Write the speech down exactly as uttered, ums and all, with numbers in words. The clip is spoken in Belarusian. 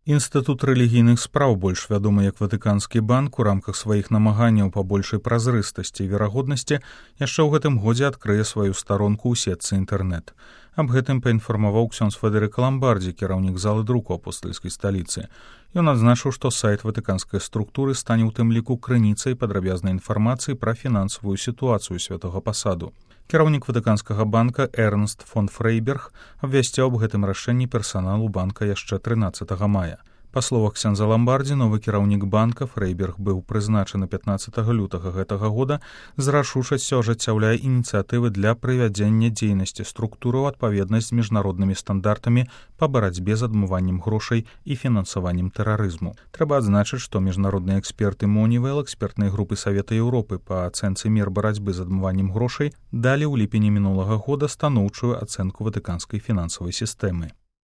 Інстытут рэлігійных спраў, больш вядомы як Ватыканскі банк, у рамках сваіх намаганняў па большай празрыстасці і верагоднасці яшчэ ў гэтым годзе адкрые сваю старонку ў сетцы інтэрнэт. Аб гэтым паінфармаваў ксёндз Федэрыка Ламбардзі, кіраўнік залы друку апостальскай сталіцы. Ён адзначыў, што сайт ватыканскай структуры стане ў тым ліку крыніцай падрабязнай інфармацыі пра фінансавую сітуацыю святога пасаду. Кіраўнік Ватыканскага банка Эрнст фон Фрейберг абвясціў аб гэтым рашэнні персаналу банка яшчэ трынаццатага мая. Па словах ксяндза Ламбардзі, новы кіраўнік банка Фрейберг быў прызначаны пятнаццатага лютага гэтага года, з рашучасцю ажыццяўляе ініцыятывы для прывядзення дзейнасці структуры ў адпаведнасць з міжнароднымі стандартамі па барацьбе з адмываннем грошай і фінансаваннем тэрарызму. Трэба адзначыць, што міжнародныя эксперты Монівел, экспертнай групы Савета Еўропы па ацэнцы мер барацьбы з адмываннем грошай, далі ў ліпені мінулага года станоўчую ацэнку ватыканскай фінансавай сістэмы.